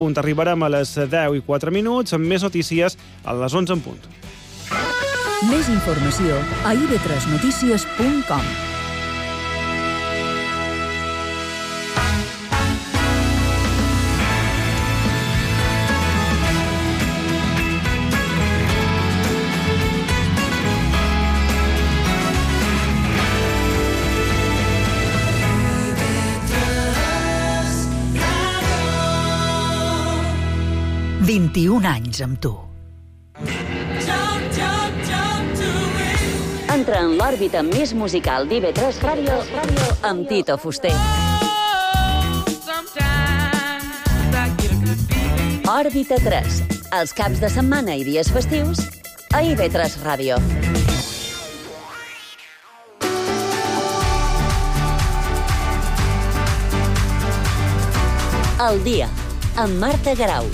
Arribarem a les 10:04, amb més notícies a les 11 en punt. Més informació a ib3notícies.com. anys amb tu. Entra en l'òrbita més musical d'IV3 Ràdio amb Tito Fuster. Òrbita 3, els caps de setmana i dies festius a IV3 Ràdio. El dia, amb Marta Garau.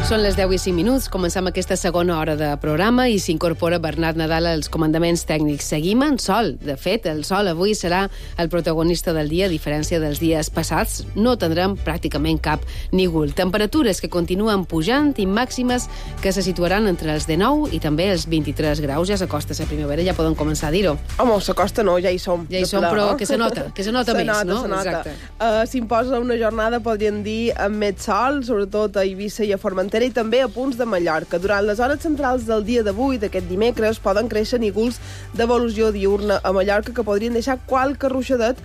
Són les 10:05. Comencem aquesta segona hora de programa i s'incorpora Bernat Nadal als comandaments tècnics. Seguim en sol. De fet, el sol avui serà el protagonista del dia, a diferència dels dies passats. No tindrem pràcticament cap nígol. Temperatures que continuen pujant i màximes que se situaran entre els 19 i també els 23 graus. Ja s'acosta la primavera, ja podem començar a dir-ho. Home, s'acosta no, ja hi som. Ja hi som, però que se nota més, no? Se nota. S'imposa una jornada, podríem dir, amb més sol, sobretot a Eivissa i a Formentera, i també a punts de Mallorca. Durant les hores centrals del dia d'avui, d'aquest dimecres, poden créixer nígols d'evolució diurna a Mallorca que podrien deixar qualque ruixadet,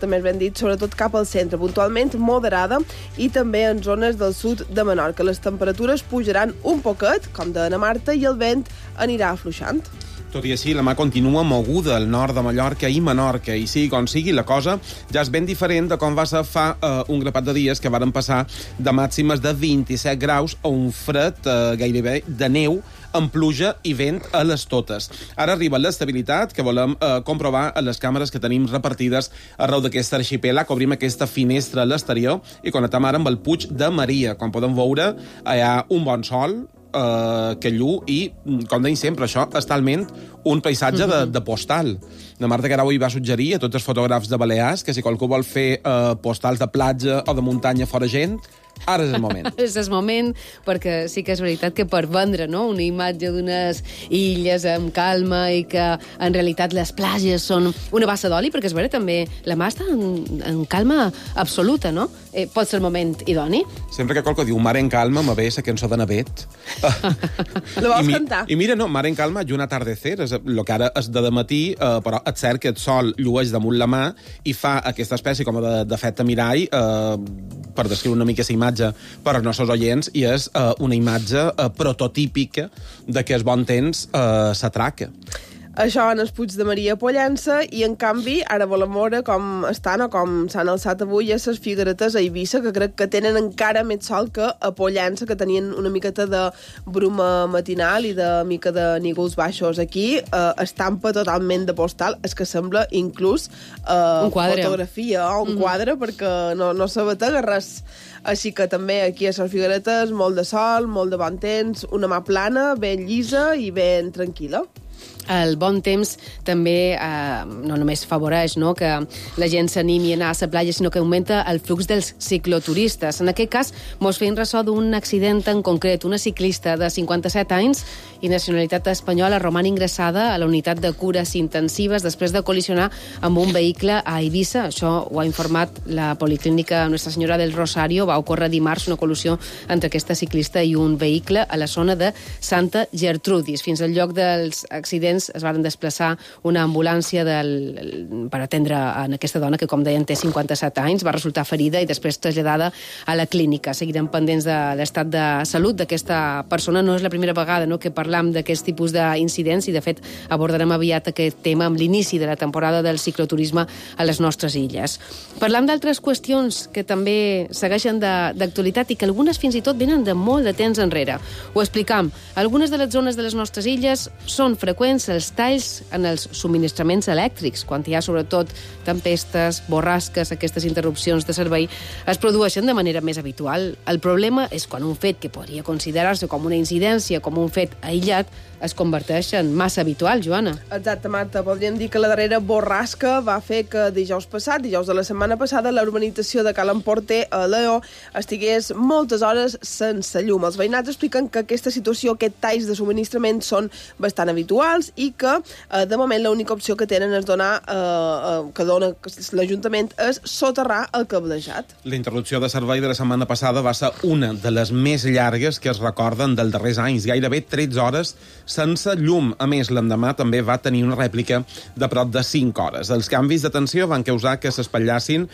més ben dit, sobretot cap al centre, puntualment moderada, i també en zones del sud de Menorca. Les temperatures pujaran un poquet, com deia na Marta, i el vent anirà afluixant. Tot i així, la mà continua moguda al nord de Mallorca i Menorca, i sigui com sigui, la cosa ja és ben diferent de com va ser fa un grapat de dies que varen passar de màximes de 27 graus a un fred gairebé de neu, amb pluja i vent a les totes. Ara arriba l'estabilitat que volem comprovar a les càmeres que tenim repartides arreu d'aquest arxipèlag. Obrim aquesta finestra a l'exterior i connectem ara amb el Puig de Maria. Com podem veure, hi ha un bon sol, que llu, i, com deim sempre, això és talment un paisatge de postal. La Marta Garau hi va suggerir a tots els fotògrafs de Balears que si qualcú vol fer postals de platja o de muntanya fora gent, ara és el moment. És el moment, perquè sí que és veritat que per vendre, no?, una imatge d'unes illes amb calma i que en realitat les platges són una bassa d'oli, perquè és vera, també la mà està en calma absoluta, no? Pot ser el moment idoni. Sempre que qualcú diu mar en calma, me ve la cançó de Navet. La vols cantar? I mira, no, mar en calma i un atardecer, és el que ara és de matí, però és cert que el sol llueix damunt la mà i fa aquesta espècie com d'efecte mirall, per descriure una mica la imatge per als nostres oients, i és una imatge prototípica de que el bon temps s'atraca. Això en el Puig de Maria a Pollença, i en canvi ara volem veure com estan o com s'han alçat avui a les Figueretes a Eivissa, que crec que tenen encara més sol que a Pollença, que tenien una miqueta de bruma matinal i de mica de nígols baixos. Aquí estampa totalment de postal, és que sembla inclús un quadre. Fotografia o un quadre, perquè no s'abatega res. Així que també aquí a les Figueretes molt de sol, molt de bon temps, una mà plana, ben llisa i ben tranquil·la. El bon temps també no només favoreix, no?, que la gent s'animi a anar a la platja, sinó que augmenta el flux dels cicloturistes. En aquest cas, mos feim ressò d'un accident en concret. Una ciclista de 57 anys i nacionalitat espanyola roman ingressada a la unitat de cures intensives després de col·lisionar amb un vehicle a Eivissa. Això ho ha informat la Policlínica Nuestra Senyora del Rosario. Va ocórrer dimarts una col·lisió entre aquesta ciclista i un vehicle a la zona de Santa Gertrudis. Fins al lloc dels accidents moments es van desplaçar una ambulància per atendre en aquesta dona, que com deien té 57 anys, va resultar ferida i després traslladada a la clínica. Seguirem pendents de l'estat de salut d'aquesta persona. No és la primera vegada que parlam d'aquest tipus d'incidents i, de fet, abordarem aviat aquest tema amb l'inici de la temporada del cicloturisme a les nostres illes. Parlam d'altres qüestions que també segueixen d'actualitat i que algunes fins i tot venen de molt de temps enrere. Ho explicam. Algunes de les zones de les nostres illes són freqüents els talls en els subministraments elèctrics. Quan hi ha, sobretot, tempestes, borrasques, aquestes interrupcions de servei es produeixen de manera més habitual. El problema és quan un fet que podria considerar-se com una incidència, com un fet aïllat, es converteix en massa habitual, Joana. Exacte, Marta. Podríem dir que la darrera borrasca va fer que dijous de la setmana passada, la urbanització de Cal Emporter a Lleó estigués moltes hores sense llum. Els veïnats expliquen que aquesta situació, aquests talls de subministrament són bastant habituals i que, de moment, l'única opció que tenen és que dona l'Ajuntament és soterrar el cablejat. La interrupció de servei de la setmana passada va ser una de les més llargues que es recorden dels darrers anys, gairebé 13 hores sense llum. A més, l'endemà també va tenir una rèplica de prop de 5 hores. Els canvis de tensió van causar que s'espatllassin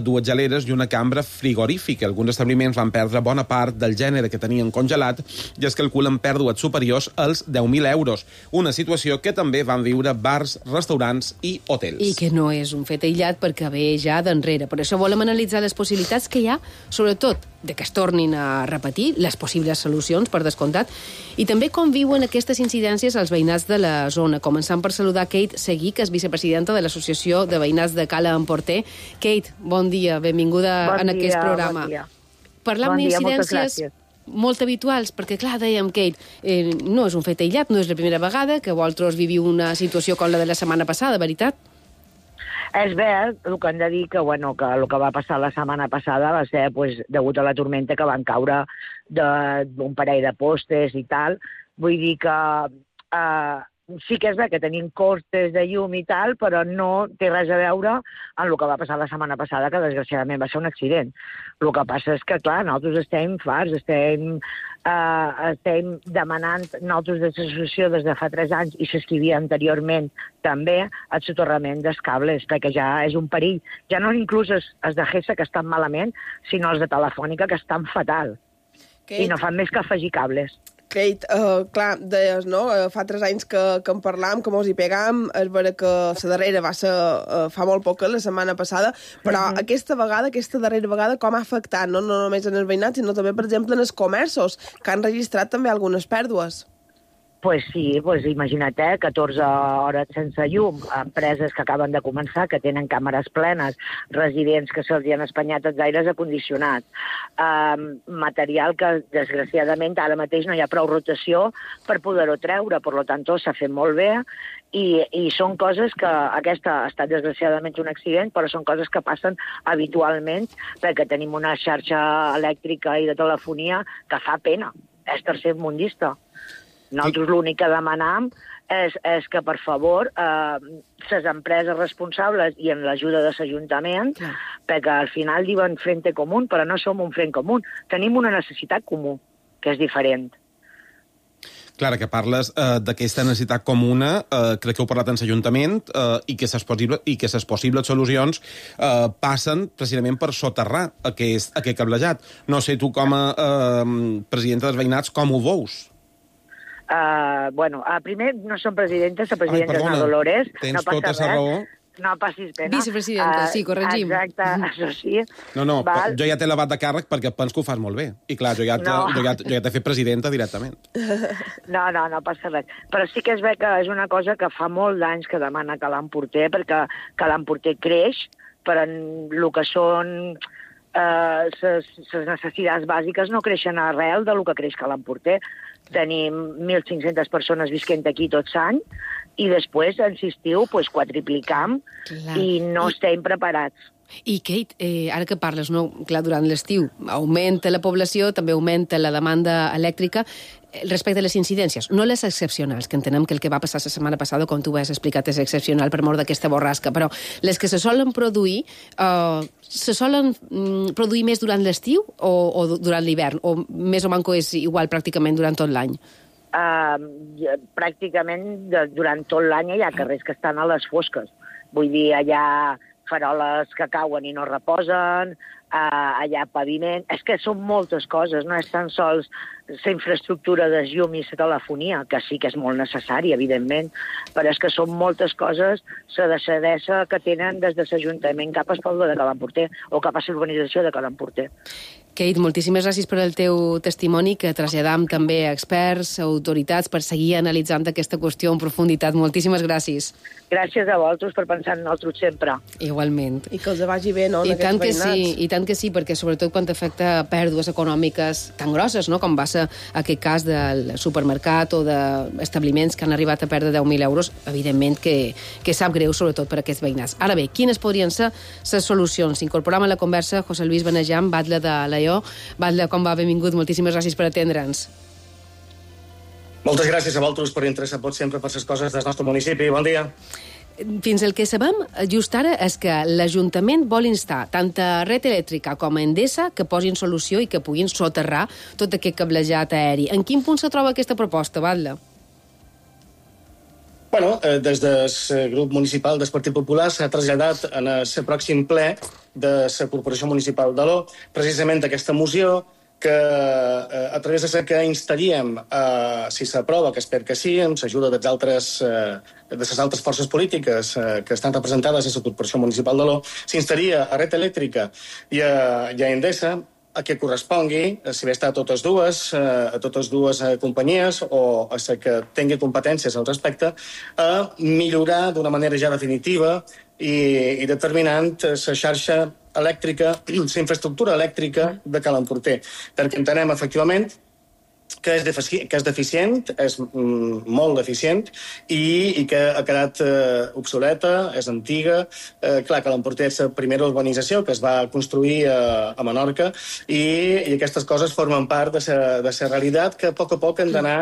2 geleres i una cambra frigorífica. Alguns establiments van perdre bona part del gènere que tenien congelat i es calculen pèrdues superiors als 10.000 euros. Una situació que també van viure bars, restaurants i hotels. I que no és un fet aïllat perquè ve ja d'enrere. Per això volem analitzar les possibilitats que hi ha, sobretot de que es tornin a repetir, les possibles solucions, per descomptat, i també com viuen aquestes incidències als veïnats de la zona. Començant per saludar Kate Seguí, que és vicepresidenta de l'Associació de Veïnats de Cala Emporter. Kate, bon dia, benvinguda en aquest programa. Bon dia. Parlam d'incidències molt habituals, perquè, clar, dèiem, Kate, no és un fet aïllat, no és la primera vegada que vosaltres viviu una situació com la de la setmana passada, veritat? És ver, el que hem de dir que, que el que va passar la setmana passada va ser degut a la tormenta que van caure d'un parell de postes i tal. Vull dir que sí que és ver que tenim costes de llum i tal, però no té res a veure amb el que va passar la setmana passada, que desgraciadament va ser un accident. El que passa és que, clar, nosaltres estem farts, estem demanant, nosaltres de l'associació des de fa 3 anys, i s'escrivia anteriorment també, el soterrament dels cables, perquè ja és un perill. Ja no inclús els de GESA, que estan malament, sinó els de Telefònica, que estan fatal. Kate. I no fan més que afegir cables. Kate, clar, deies, no? Fa 3 anys que en parlam, que mos hi pegam, és vera que la darrera va ser fa molt poc, la setmana passada, però aquesta darrera vegada, com ha afectat, no només en els veïnats, sinó també, per exemple, en els comerços, que han registrat també algunes pèrdues? Pues sí, imagina't, 14 hores sense llum, empreses que acaben de començar, que tenen càmeres plenes, residents que se'ls han espanyat els aires acondicionats, material que, desgraciadament, ara mateix no hi ha prou rotació per poder-ho treure, per tant, s'ha fet molt bé, i són coses que, aquesta ha estat desgraciadament un accident, però són coses que passen habitualment, perquè tenim una xarxa elèctrica i de telefonia que fa pena, és tercermundista. Nosaltres l'únic que demanam és que, per favor, les empreses responsables i amb l'ajuda de l'Ajuntament, perquè al final diuen frente común, però no som un front comú. Tenim una necessitat comú, que és diferent. Clara, que parles d'aquesta necessitat comuna, crec que heu parlat en l'Ajuntament, i que les possibles solucions passen precisament per soterrar aquest cablejat. No sé, tu com a presidenta dels veïnats, com ho veus? Primer no som presidentes, la presidenta és la Dolores. Tens tota la raó. No passis pena. Vicepresidenta, sí, corregim. Exacte, això sí. No, jo ja t'he elevat de càrrec perquè penso que ho fas molt bé. I clar, jo ja t'he fet presidenta directament. No passa res. Però sí que és bé que és una cosa que fa molt d'anys que demana Cal Emporter, perquè Cal Emporter creix, però el que són les necessitats bàsiques no creixen arrel del que creix Cal Emporter. Tenim 1.500 persones visquent aquí tot l'any i després, en l'estiu, quadriplicam i no estem preparats. I, Kate, ara que parles, no? Clar, durant l'estiu augmenta la població, també augmenta la demanda elèctrica. Respecte a les incidències, no les excepcionals, que entenem que el que va passar la setmana passada, com tu has explicat, és excepcional per mort d'aquesta borrasca, però les que se solen produir més durant l'estiu o durant l'hivern? O més o manco és igual pràcticament durant tot l'any? pràcticament durant tot l'any hi ha carrers que estan a les fosques. Vull dir, hi ha faroles que cauen i no reposen, hi ha paviment... És que són moltes coses, no és tan sols la infraestructura de llum i la telefonia, que sí que és molt necessària, evidentment, però és que són moltes coses la deixadesa que tenen des de l'Ajuntament cap al poble de Cal Emporter o cap a l'urbanització de Cal Emporter. Kate, moltíssimes gràcies per el teu testimoni, que traslladam també a experts, a autoritats, per seguir analitzant aquesta qüestió en profunditat. Moltíssimes gràcies. Gràcies a vosaltres per pensar en nosaltres sempre. Igualment. I que els vagi bé, no, en aquests veïnats. I tant que sí, perquè sobretot quan afecta pèrdues econòmiques tan grosses, no?, com va ser aquest cas del supermercat o d'establiments que han arribat a perdre 10.000 euros, evidentment que sap greu, sobretot per aquests veïnats. Ara bé, quines podrien ser les solucions? Incorporem a la conversa José Luis Benejam, batlle de Alaior. Batlle, com va? Benvingut. Moltíssimes gràcies per atendre'ns. Moltes gràcies a vosaltres per interessar sempre per les coses del nostre municipi. Bon dia. Fins el que sabem, just ara, és que l'Ajuntament vol instar tant a Red Elèctrica com a Endesa que posin solució i que puguin soterrar tot aquest cablejat aeri. En quin punt se troba aquesta proposta, Batlle? Bueno, des del grup municipal del Partit Popular s'ha traslladat en el pròxim ple de la Corporació Municipal d'Aló precisament aquesta moció que a través de la que instaríem, si s'aprova, que espero que sí, amb l'ajuda de les altres forces polítiques que estan representades a la Corporació Municipal d'Aló, s'instaria a Red Elèctrica i a Endesa a que correspongui, si bé està a totes dues companyies o a la que tingui competències al respecte, a millorar d'una manera ja definitiva i determinant la xarxa elèctrica, la infraestructura elèctrica de Cal Emporter. Perquè entenem, efectivament, que és deficient, és molt deficient, i que ha quedat obsoleta, és antiga. Clar, Cal Emporter és la primera urbanització que es va construir a Menorca, i aquestes coses formen part de la realitat que a poc hem d'anar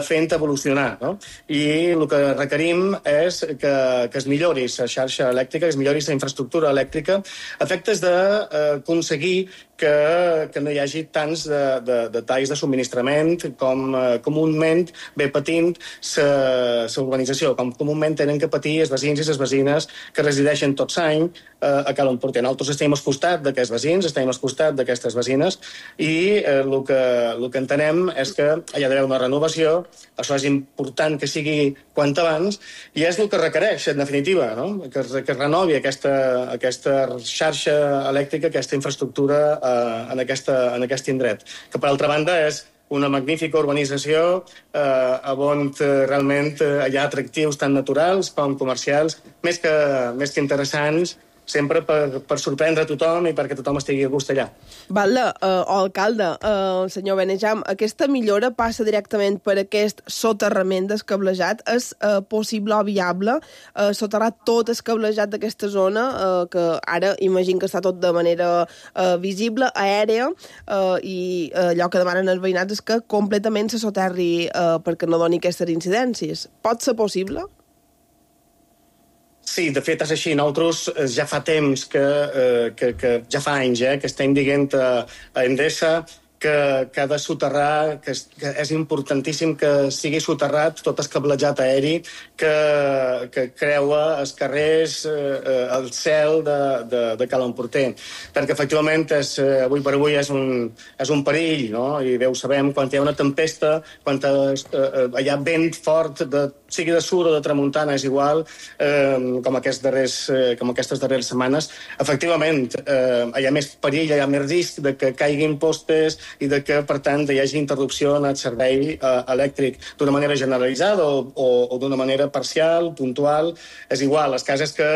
fent evolucionar, no? I el que requerim és que es millori la xarxa elèctrica, que es millori la infraestructura elèctrica, a efectes d'aconseguir que no hi hagi tants de talls de subministrament com comúment ve patint la urbanització, com comúment tenen que patir els veïns i les veïnes que resideixen tot l'any a Cal Emporter. Nosaltres estem al costat d'aquests veïns, estem al costat d'aquestes veïnes, i el que entenem és que hi ha d'haver una renovació. Això és important que sigui quant abans, i és el que requereix, en definitiva, no? Que es renovi aquesta xarxa elèctrica, aquesta infraestructura en aquest indret, que per altra banda és una magnífica urbanització on realment hi ha atractius tant naturals com comercials, més que interessants, sempre per sorprendre tothom i perquè tothom estigui a gust allà. Batlle, o alcalde, senyor Benejam, aquesta millora passa directament per aquest soterrament del cablejat. És possible o viable soterrar tot el cablejat d'aquesta zona, que ara imagino que està tot de manera visible, aèria, i allò que demanen els veïnats és que completament se soterri perquè no doni aquestes incidències. Pot ser possible? Sí, de fet és així. Nosaltres ja fa temps ja fa anys que estem dient a Endesa que ha de soterrar, que és importantíssim que sigui soterrat tot el cablejat aeri que creua els carrers, el cel de Cal Emporter. Perquè, efectivament, avui per avui és un perill, no? I bé ho sabem, quan hi ha una tempesta, quan hi ha vent fort, sigui de sud o de tramuntana, és igual, com aquestes darreres setmanes. Efectivament, hi ha més perill, hi ha més risc de que caiguin postes i de que, per tant, hi hagi interrupció en el servei elèctric d'una manera generalitzada o d'una manera parcial, puntual. És igual, el cas és que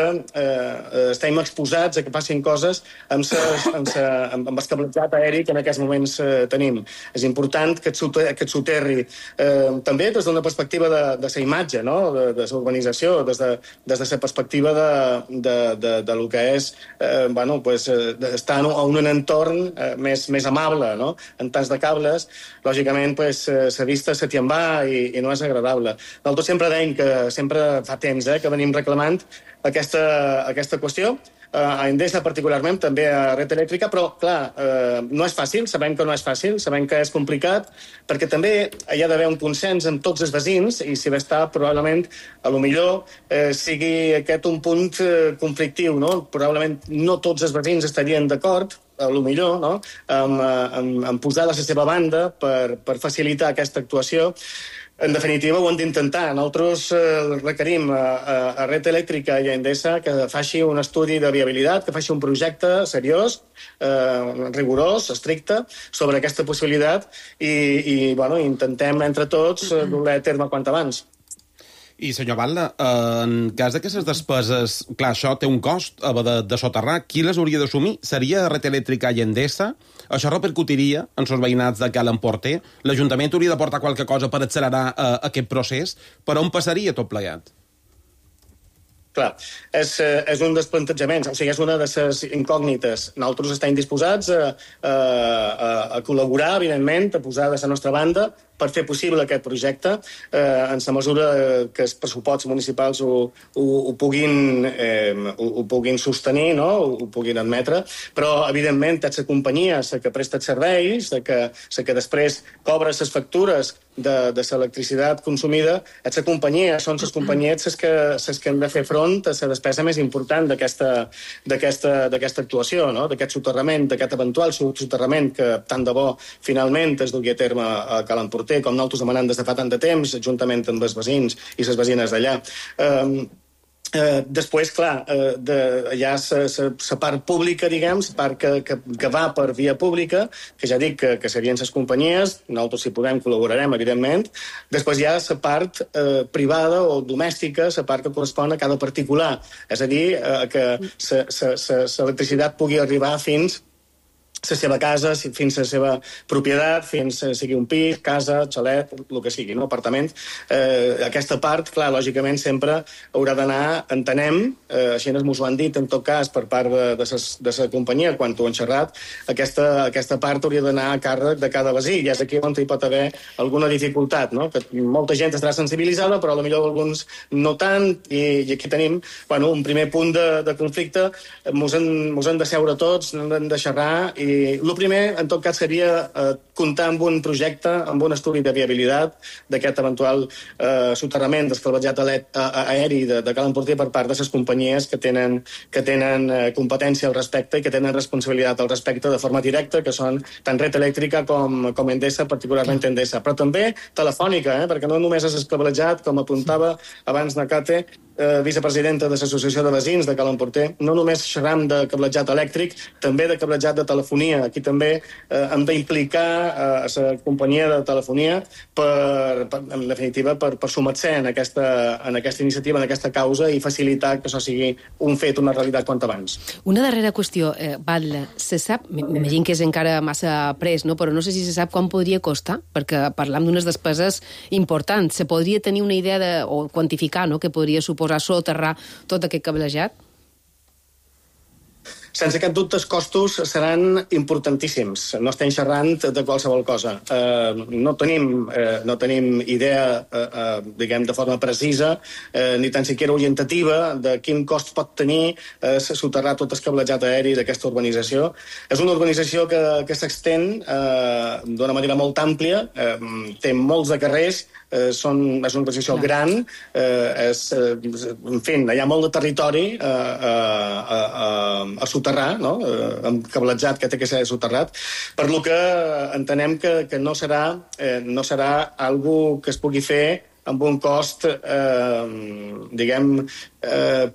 estem exposats a que passin coses amb el cablejat aeri que en aquests moments tenim. És important que et soterri també des d'una perspectiva de la imatge, no? De la urbanització, des de la perspectiva de lo que és estar en un entorn més amable, no? En tants de cables, lògicament, la vista se t'hi en va i no és agradable. Nosaltres sempre dèiem que sempre fa temps que venim reclamant aquesta qüestió. a Endesa particularment, també a Red Eléctrica, però, clar, no és fàcil, sabem que no és fàcil, sabem que és complicat, perquè també hi ha d'haver un consens amb tots els veïns, i si bé està, probablement, a lo millor sigui aquest un punt conflictiu, no? Probablement no tots els veïns estarien d'acord, a lo millor, no? en posar de la seva banda per facilitar aquesta actuació. En definitiva, ho hem d'intentar. Nosaltres requerim a Red Eléctrica i a Endesa que faci un estudi de viabilitat, que faci un projecte seriós, rigorós, estricte, sobre aquesta possibilitat i intentem entre tots dur-la a terme quant abans. I, senyor Batlle, en cas d'aquestes despeses, clar, això té un cost, haver de soterrar, qui les hauria d'assumir? Seria Red Eléctrica i Endesa? Això repercutiria en els veïnats de Cal Emporter? L'Ajuntament hauria d'aportar qualque cosa per accelerar aquest procés? Per on passaria tot plegat? Clar, és un dels plantejaments, o sigui, és una de les incògnites. Nosaltres estem disposats a col·laborar, evidentment, a posar de la nostra banda per fer possible aquest projecte en la mesura que els pressupostos municipals ho puguin sostenir, no? Ho puguin admetre, però, evidentment, és la companyia la que presta els serveis, la que després cobra les factures de l'electricitat consumida, és la companyia, són les companyies les que han de fer front a la despesa més important d'aquesta actuació, no? D'aquest soterrament, d'aquest eventual soterrament que tant de bo finalment es dugui a terme a Cal Emporter, com nosaltres demanem des de fa tant de temps, juntament amb els veïns i les veïnes d'allà. Després, clar, hi ha la part pública, diguem, la part que va per via pública, que ja dic que serien les companyies, nosaltres si podem col·laborarem, evidentment. Després hi ha la part privada o domèstica, la part que correspon a cada particular. És a dir, que l'electricitat pugui arribar fins la seva casa, fins la seva propietat, fins sigui un pis, casa, xalet, el que sigui, no? Apartament. Aquesta part, clar, lògicament sempre haurà d'anar, entenem, així ens ho han dit en tot cas per part de la companyia quan ho han xerrat, aquesta part hauria d'anar a càrrec de cada veí, i és aquí on hi pot haver alguna dificultat, no? Que molta gent estarà sensibilitzada, però potser alguns no tant, i aquí tenim un primer punt de conflicte. Mos hem de seure tots, hem de xerrar, i el primer, en tot cas, seria comptar amb un projecte, amb un estudi de viabilitat d'aquest eventual soterrament descalvatjat aeri de Cal Emporter per part de les companyies que tenen competència al respecte i que tenen responsabilitat al respecte de forma directa, que són tant Red Eléctrica com Endesa, particularment Endesa. Però també Telefònica, perquè no només és escalvatjat, com apuntava abans Nakate, vicepresidenta de l'Associació de Veïns de Cal Emporter, no només xerram de cablejat elèctric, també de cablejat de telefonia. Aquí també hem d'implicar a la companyia de telefonia en definitiva, per sumar-se en aquesta iniciativa, en aquesta causa, i facilitar que això sigui un fet, una realitat quant abans. Una darrera qüestió, Batlle, se sap, m'imagino que és encara massa pres, no? Però no sé si se sap quan podria costar, perquè parlam d'unes despeses importants. Se podria tenir una idea o quantificar, no?, que podria suposar soterrar tot aquest cablejat? Sense cap dubte, els costos seran importantíssims. No estem xerrant de qualsevol cosa. No tenim idea, diguem, de forma precisa, ni tan siquiera orientativa, de quin cost pot tenir soterrar tot el cablejat aeri d'aquesta urbanització. És una urbanització que s'extén d'una manera molt àmplia, té molts de carrers, és una urbanització gran, en fi, hi ha molt de territori a soterrar, no? Amb cablejat que té que ser soterrat, per lo que entenem que no serà algo que es pugui fer amb un cost, diguem,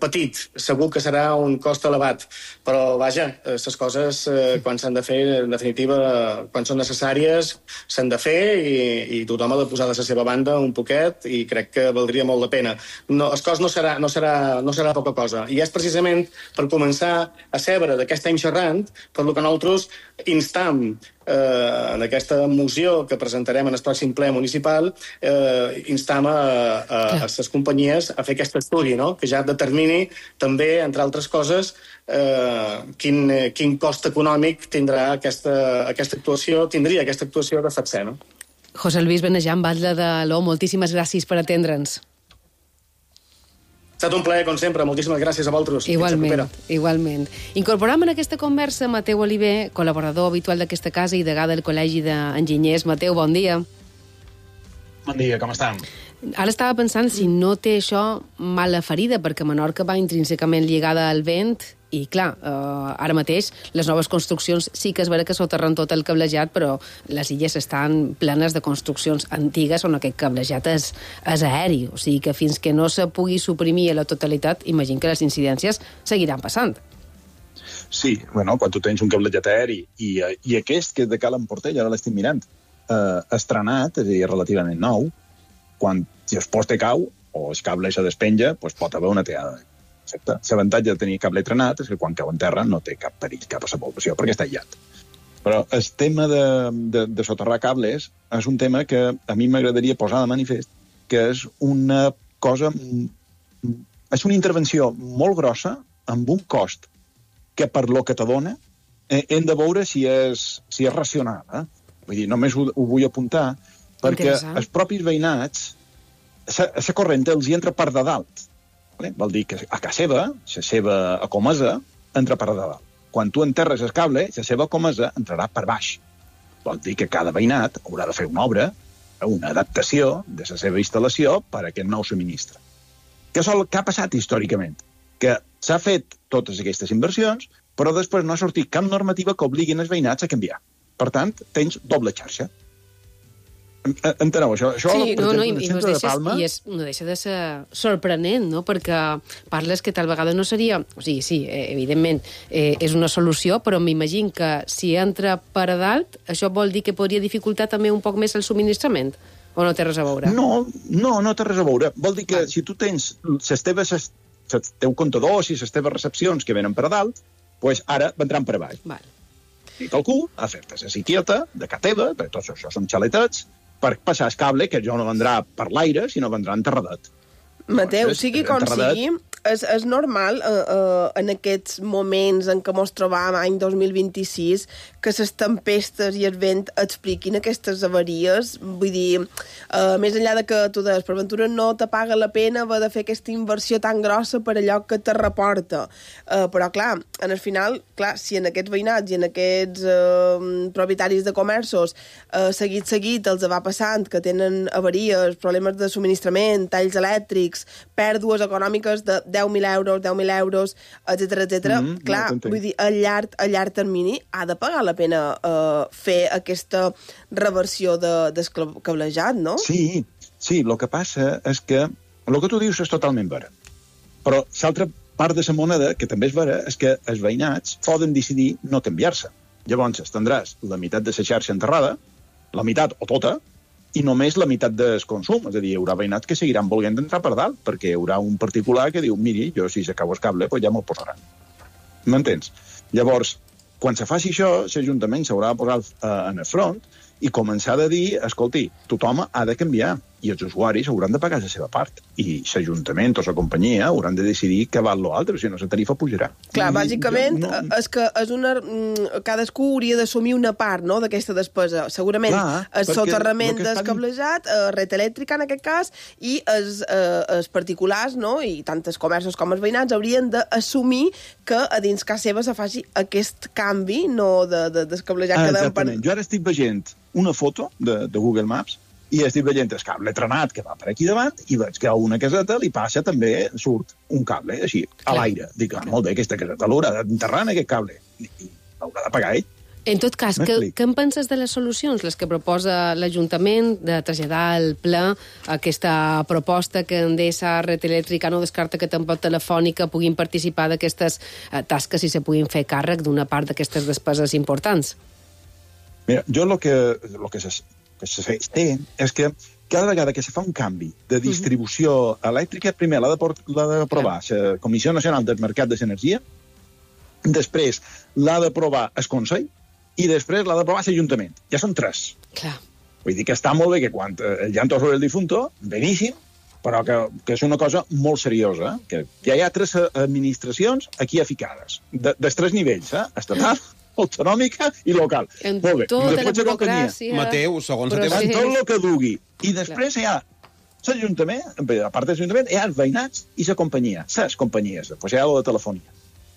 petit. Segur que serà un cost elevat, però, vaja, les coses, quan s'han de fer, en definitiva, quan són necessàries, s'han de fer i tothom ha de posar de la seva banda un poquet i crec que valdria molt la pena. El cost no serà poca cosa. I és precisament per començar a seure de què estem xerrant, per lo que nosaltres instam en aquesta moció que presentarem en el pròxim ple municipal, instam a les companyies a fer aquest estudi, no? Que ja determini també, entre altres coses, quin cost econòmic tindria aquesta actuació de FATSE, no? José Luis Benejam, Batlle de l'O, moltíssimes gràcies per atendre'ns. Ha estat un plaer, com sempre. Moltíssimes gràcies a vosaltres. Igualment. Incorporam en aquesta conversa Mateu Oliver, col·laborador habitual d'aquesta casa i degà del Col·legi d'Enginyers. Mateu, bon dia. Bon dia, com estan? Ara estava pensant si no té això mala ferida, perquè Menorca va intrínsecament lligada al vent i, clar, ara mateix les noves construccions sí que és vera que soterren tot el cablejat, però les illes estan plenes de construccions antigues on aquest cablejat és aeri. O sigui que fins que no se pugui suprimir a la totalitat, imagino que les incidències seguiran passant. Sí, bueno, quan tu tens un cablejat aeri i aquest que és de Cal Emportell, ara l'estic mirant, estrenat, és a dir, relativament nou, quan si el poste cau o el cable se despenja, doncs pot haver una teada. L'avantatge de tenir cable trenat és que quan cau en terra no té cap perill, cap a la població, perquè està aïllat. Però el tema de soterrar cables és un tema que a mi m'agradaria posar de manifest, que és una cosa... És una intervenció molt grossa, amb un cost que per lo que t'adona hem de veure si és racional. Vull dir, només ho vull apuntar, perquè els propis veïnats, la corrent els hi entra per de dalt. Vol dir que a casa seva, la seva comesa, entra per de dalt. Quan tu enterres el cable, la seva comesa entrarà per baix. Vol dir que cada veïnat haurà de fer una obra, una adaptació de la seva instal·lació per a aquest nou subministre. Què ha passat històricament? Que s'ha fet totes aquestes inversions, però després no ha sortit cap normativa que obliguin els veïnats a canviar. Per tant, tens doble xarxa. Enteneu, això sí, no, i no deixa de ser sorprenent, no? Perquè parles que tal vegada no seria... O sigui, sí, evidentment, és una solució, però m'imagino que si entra per a dalt, això vol dir que podria dificultar també un poc més el subministrament? O no té res a veure? No té res a veure. Vol dir que si tu tens els teus comptadors i les teves recepcions que venen per a dalt, doncs ara vendran per a baix. I qualcú ha fet la siquieta de casa teva, perquè tots això són xaletets, per passar el cable, que jo no vendrà per l'aire, sinó vendrà enterradet. Mateu, sigui com sigui, és normal en aquests moments en què ens trobam any 2026 que les tempestes i el vent expliquin aquestes avaries. Vull dir, més enllà de que tu deies, per ventura no te paga la pena haver de fer aquesta inversió tan grossa per allò que te reporta. Però, clar, en el final, si en aquests veïnats i en aquests propietaris de comerços seguit els va passant que tenen avaries, problemes de subministrament, talls elèctrics, pèrdues econòmiques de 10.000 euros, etcètera. Clar, vull dir, a llarg termini ha de pagar la pena fer aquesta reversió del cablejat, no? Sí, el que passa és que el que tu dius és totalment vera. Però l'altra part de la moneda, que també és vera, és que els veïnats poden decidir no canviar-se. Llavors tindràs la meitat de la xarxa enterrada, la meitat o tota, i només la meitat del consum. És a dir, hi haurà veïnats que seguiran volent entrar per dalt, perquè hi haurà un particular que diu, miri, jo si s'acabo el cable, doncs ja me'l posaran. M'entens? Llavors, quan se faci això, l'Ajuntament s'haurà de posar en el front i començar a dir, escolti, tothom ha de canviar i els usuaris hauran de pagar la seva part. I l'Ajuntament o la companyia hauran de decidir què val l'altre, si no la tarifa pujarà. Clar, bàsicament, és que és cadascú hauria d'assumir una part, no?, d'aquesta despesa. Segurament el soterrament del cablejat, red elèctrica en aquest cas, i els particulars, no?, i tant els comerços com els veïnats haurien d'assumir que a dins casa seva se faci aquest canvi, no del cablejat que exactament. Jo ara estic veient una foto de Google Maps i estic veient el cable trenat que va per aquí davant i veig que a una caseta li passa també, surt un cable així, a l'aire. Dic, molt bé, aquesta caseta l'haurà d'enterrar en aquest cable i l'haurà de pagar ell. En tot cas, què en penses de les solucions, les que proposa l'Ajuntament, de traslladar al ple aquesta proposta que Endesa, Red Elèctrica, no descarta que tampoc Telefònica puguin participar d'aquestes tasques i se puguin fer càrrec d'una part d'aquestes despeses importants? Mira, jo el que se té és que cada vegada que se fa un canvi de distribució elèctrica, primer l'ha d'aprovar la Comissió Nacional del Mercat de l'Energia, després l'ha d'aprovar el Consell i després l'ha d'aprovar l'Ajuntament. Ja són 3. Clar. Vull dir que està molt bé que quan el llanto sobre el difunto, beníssim, però que és una cosa molt seriosa, que ja hi ha 3 administracions aquí aficades, dels 3 nivells, estatal, autonòmica i local. En tota la burocràcia... Mateu, segons la teva... En tot el que dugui. I després hi ha l'Ajuntament, a part de l'Ajuntament, hi ha els veïnats i la companyia, les companyies, després hi ha la telefonia.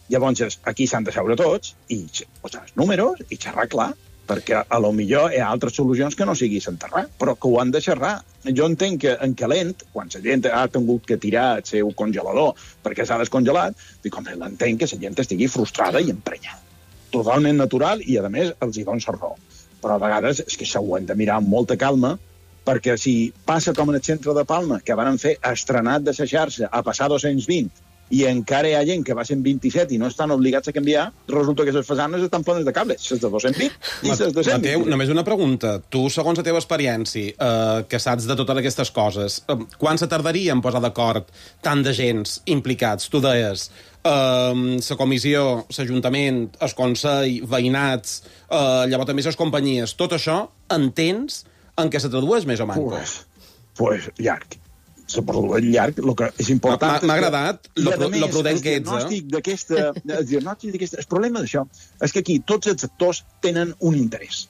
Llavors, aquí s'han de seure tots i posar els números i xerrar clar, perquè a lo millor hi ha altres solucions que no sigui s'enterrar, però que ho han de xerrar. Jo entenc que en calent, quan la gent ha tingut que tirar el seu congelador perquè s'ha descongelat, dic, home, l'entenc que la gent estigui frustrada i emprenyada. Totalment natural i, a més, els hi dono la raó. Però a vegades és que això ho hem de mirar amb molta calma, perquè si passa com en el centre de Palma, que van fer estrenat de la xarxa a passar 220, i encara hi ha gent que va ser 27 i no estan obligats a canviar, resulta que les façanes estan plenes de cables, les de 220 i les de 120. Mateu, només una pregunta. Tu, segons la teva experiència, que saps de totes aquestes coses, quan se tardaria en posar d'acord tant de gens implicats? Tu deies, la comissió, l'Ajuntament, el Consell, veïnats, llavors també les companyies, tot això, entens en què se tradueix més o menys? Pues llarg. Se produeix llarg, el que és important... M'ha agradat lo prudent que ets, El problema d'això és que aquí tots els actors tenen un interès.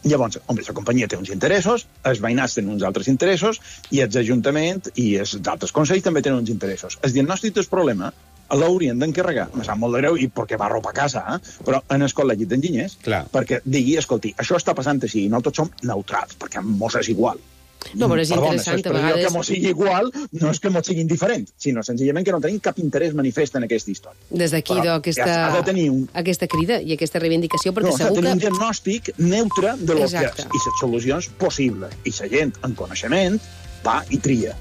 Llavors, la companyia té uns interessos, els veïnats tenen uns altres interessos, i els ajuntaments i els altres consells també tenen uns interessos. El diagnòstic del problema l'haurien d'encarregar, me sap molt de greu, i perquè va robar a casa, però en el col·legi d'enginyers, perquè digui, escolti, això està passant així, i no tots som neutrals, perquè mos és igual. No, però és interessant, a vegades... que mos sigui igual no és que mos sigui indiferent, sinó senzillament que no tenim cap interès manifest en aquesta història. Des d'aquí, aquesta crida i aquesta reivindicació, perquè segur que... S'ha de tenir un diagnòstic neutre de lo que és, i les solucions possibles. I la gent, en coneixement, va i tria.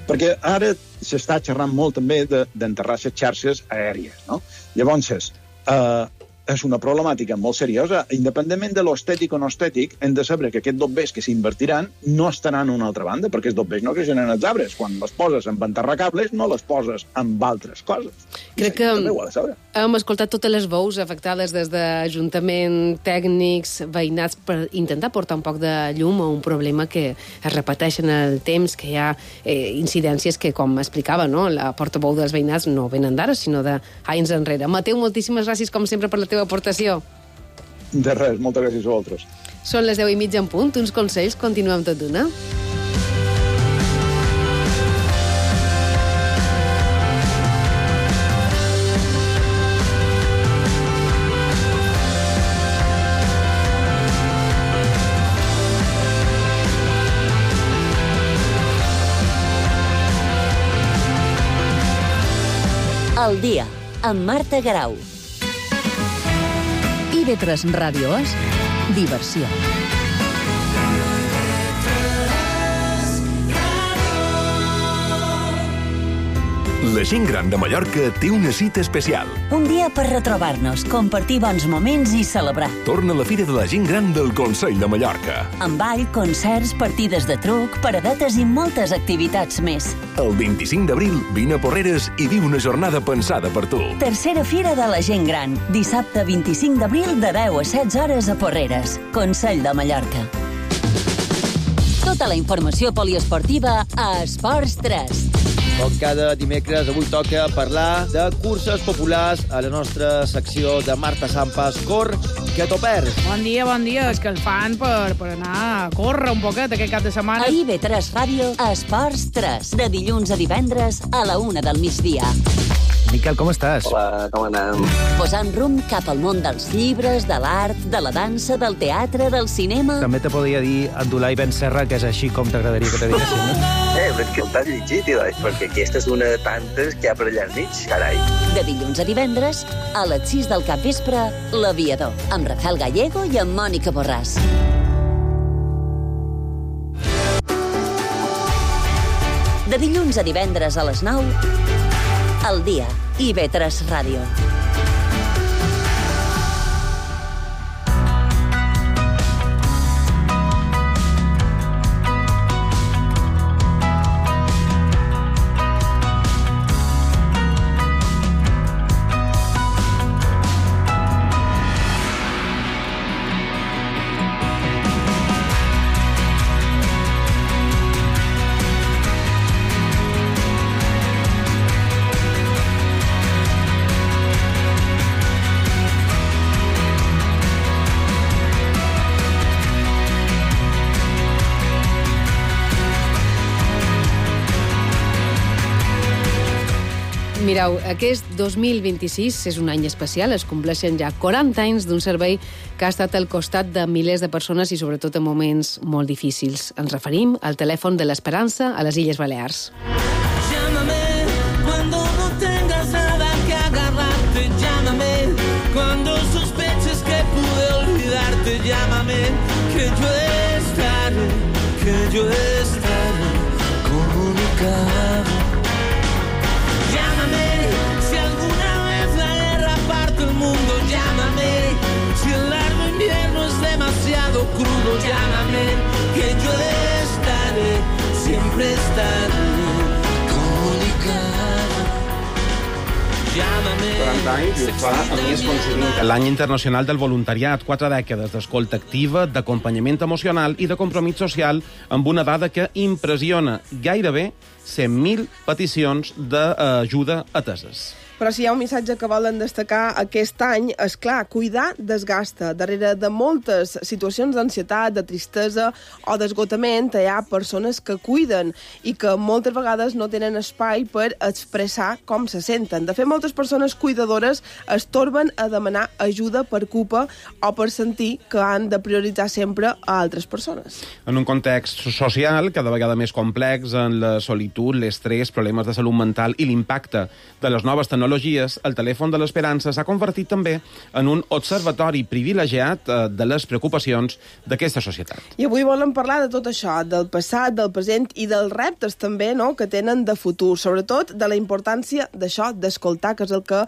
Perquè ara s'està xerrant molt també d'enterrar les xarxes aèries, no? Llavors, és una problemàtica molt seriosa. Independentment de l'estètic o no estètic, hem de saber que aquests dobbers que s'invertiran no estaran a una altra banda, perquè els dobbers no creixen en els arbres. Quan les poses en enterrar cables, no les poses en altres coses. Crec que hem escoltat totes les veus afectades des d'Ajuntament, tècnics, veïnats, per intentar portar un poc de llum a un problema que es repeteix en el temps, que hi ha incidències que, com explicava, no? La portaveu dels veïnats no venen d'ara, sinó d'anys enrere. Mateu, moltíssimes gràcies, com sempre, per la teva aportació. De res, moltes gràcies a vosaltres. Són les 10:30 en punt, uns consells, continuem tot d'una. El dia, amb Marta Garau. IB3 Ràdio és diversió. La gent gran de Mallorca té una cita especial. Un dia per retrobar-nos, compartir bons moments i celebrar. Torna la Fira de la Gent Gran del Consell de Mallorca. Amb ball, concerts, partides de truc, paradetes i moltes activitats més. El 25 d'abril vine a Porreres i viu una jornada pensada per tu. Tercera Fira de la Gent Gran, dissabte 25 d'abril de 10 a 16 hores a Porreres. Consell de Mallorca. Tota la informació poliesportiva a Esports 3. Com cada dimecres, avui toca parlar de curses populars a la nostra secció de Marta Sampas. Cor, que t'ho perds. Bon dia, és que el fan per anar a córrer un poquet aquest cap de setmana. A IB3 Ràdio, Esports 3, de dilluns a divendres a la 1 del migdia. Miquel, com estàs? Hola, com anem? Posant rumb cap al món dels llibres, de l'art, de la dansa, del teatre, del cinema... També te podria dir Abdulai Ben Serra, que és així com t'agradaria que te diguessin, no? És que t'has llegit, perquè aquesta és una de tantes que hi ha per allà al mig, carai. De dilluns a divendres, a les 6 del capvespre, L'Aviador, amb Rafael Gallego i amb Mònica Borràs. De dilluns a divendres a les 9, El dia, IB3 Ràdio. Mireu, aquest 2026 és un any especial, es compleixen ja 40 anys d'un servei que ha estat al costat de milers de persones i sobretot en moments molt difícils. Ens referim al telèfon de l'Esperança a les Illes Balears. Llámame cuando no tengas nada que agarrarte, llámame cuando sospeches que pude olvidarte, llámame que yo estaré comunicado. Llámame si alguna vez la guerra parte el mundo, llámame si el largo invierno es demasiado crudo, llámame que yo estaré, siempre estaré comunicado. Llámame. 40 anys i ho fa a més coincidint l'any internacional del voluntariat, 4 dècades d'escolta activa, d'acompanyament emocional i de compromís social amb una dada que impressiona gairebé 100.000 peticions d'ajuda ateses. Però si hi ha un missatge que volen destacar aquest any, és clar, cuidar desgasta. Darrere de moltes situacions d'ansietat, de tristesa o d'esgotament, hi ha persones que cuiden i que moltes vegades no tenen espai per expressar com se senten. De fet, moltes persones cuidadores es torben a demanar ajuda per culpa o per sentir que han de prioritzar sempre a altres persones. En un context social cada vegada més complex, en la solitud, l'estrès, problemes de salut mental i l'impacte de les noves tecnologies, el telèfon de l'Esperança s'ha convertit també en un observatori privilegiat de les preocupacions d'aquesta societat. I avui volem parlar de tot això, del passat, del present i dels reptes també, no?, que tenen de futur, sobretot de la importància d'això, d'escoltar, que és el que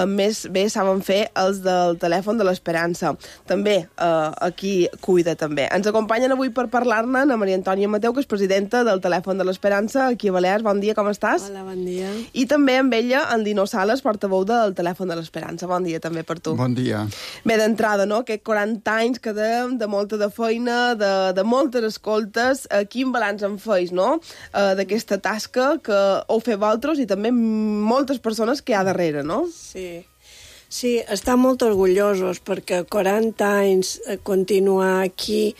més bé saben fer els del telèfon de l'Esperança. També aquí cuida també. Ens acompanyen avui per parlar-ne a Maria Antònia Mateu, que és presidenta del telèfon de l'Esperança aquí a Balears. Bon dia, com estàs? Hola, bon dia. I també amb ella en Dino Sales, portaveu del telèfon de l'Esperança. Bon dia també per tu. Bon dia. Bé, d'entrada, no?, que 40 anys que de molta de feina, de moltes escoltes. Quin balanç en feis, no?, d'aquesta tasca que heu fet vosaltres i també moltes persones que hi ha darrere, no? Sí, estan molt orgullosos perquè 40 anys continuar aquí,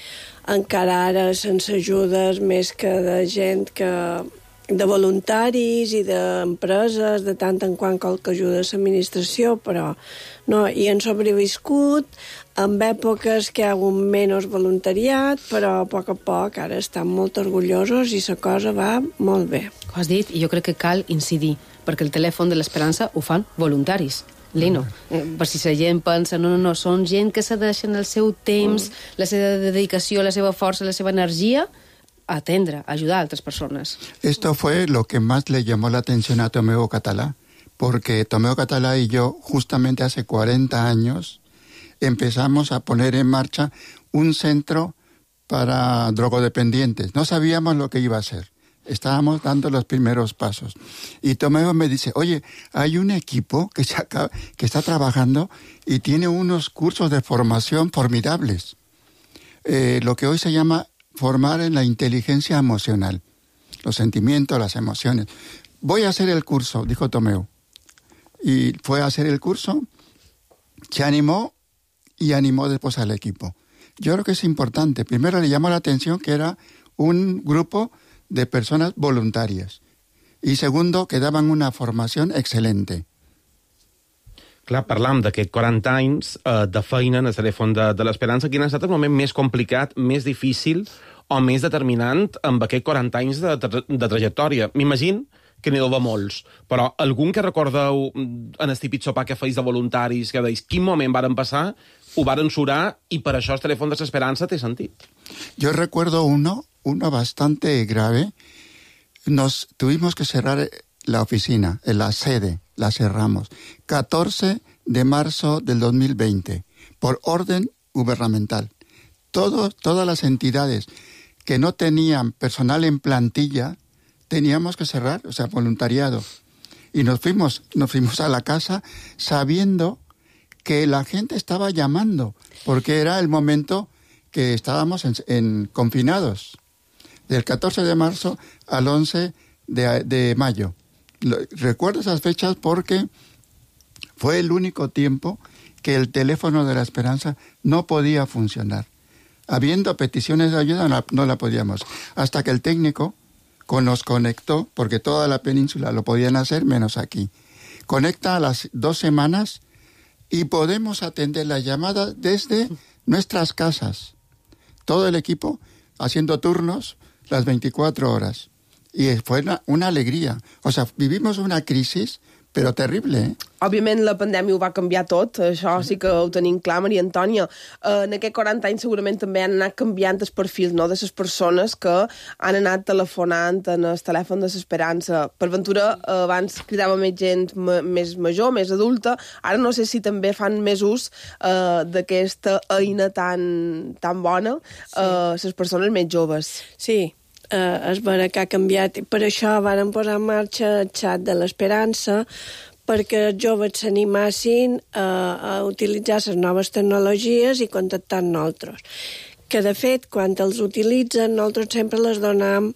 encara ara sense ajudes més que de gent de voluntaris i d'empreses, de tant en quant qualque ajuda a l'administració, però no, i han sobreviscut en èpoques que hi ha hagut menys voluntariat, però a poc ara estan molt orgullosos i la cosa va molt bé. Ho has dit, i jo crec que cal incidir, perquè el telèfon de l'Esperança ho fan voluntaris. Lino, per si la gent pensa, no, són gent que se deixen el seu temps, la seva dedicació, la seva força, la seva energia a atendre, a ayudar a otras personas. Esto fue lo que más le llamó la atención a Tomeu Català, porque Tomeu Català y yo, justamente hace 40 años, empezamos a poner en marcha un centro para drogodependientes. No sabíamos lo que iba a ser. Estábamos dando los primeros pasos. Y Tomeu me dice, oye, hay un equipo que está trabajando y tiene unos cursos de formación formidables. Lo que hoy se llama formar en la inteligencia emocional, los sentimientos, las emociones. Voy a hacer el curso, dijo Tomeu. Y fue a hacer el curso, se animó y animó después al equipo. Yo creo que es importante. Primero le llamó la atención que era un grupo de personas voluntarias. Y segundo, que daban una formación excelente. Clar, parlam d'aquests 40 anys de feina en el telèfon de l'Esperança. Quin ha estat el moment més complicat, més difícil o més determinant amb aquests 40 anys de trajectòria? M'imagino que n'hi deu haver molts, però algun que recordeu en el típic sopar que feis de voluntaris, que deis quin moment varen passar, ho varen surar i per això el telèfon de l'Esperança té sentit? Yo recuerdo uno bastante grave. Nos tuvimos que cerrar la oficina, la sede, la cerramos. 14 de marzo del 2020, por orden gubernamental. Todas las entidades que no tenían personal en plantilla, teníamos que cerrar, o sea, voluntariado. Y nos fuimos a la casa sabiendo que la gente estaba llamando, porque era el momento que estábamos confinados, del 14 de marzo al 11 de mayo. Recuerdo esas fechas porque fue el único tiempo que el teléfono de la Esperanza no podía funcionar. Habiendo peticiones de ayuda, no la podíamos. Hasta que el técnico nos conectó, porque toda la península lo podían hacer, menos aquí. conecta a las 2 semanas y podemos atender la llamada desde nuestras casas. Todo el equipo haciendo turnos las 24 horas. Y fue una alegría. O sea, vivimos una crisis, però terrible, eh? Òbviament, la pandèmia ho va canviar tot, això sí que ho tenim clar, Maria Antònia. En aquests 40 anys segurament també han anat canviant els perfils, no?, de les persones que han anat telefonant en el telèfon de l'Esperança. Per ventura, abans cridava més gent més major, més adulta, ara no sé si també fan més ús d'aquesta eina tan bona les persones més joves. Sí, és vera que ha canviat. Per això varen posar en marxa el xat de l'Esperança, perquè els joves s'animassin a utilitzar les noves tecnologies i contactar amb nosaltres. Que, de fet, quan els utilitzen, nosaltres sempre les donem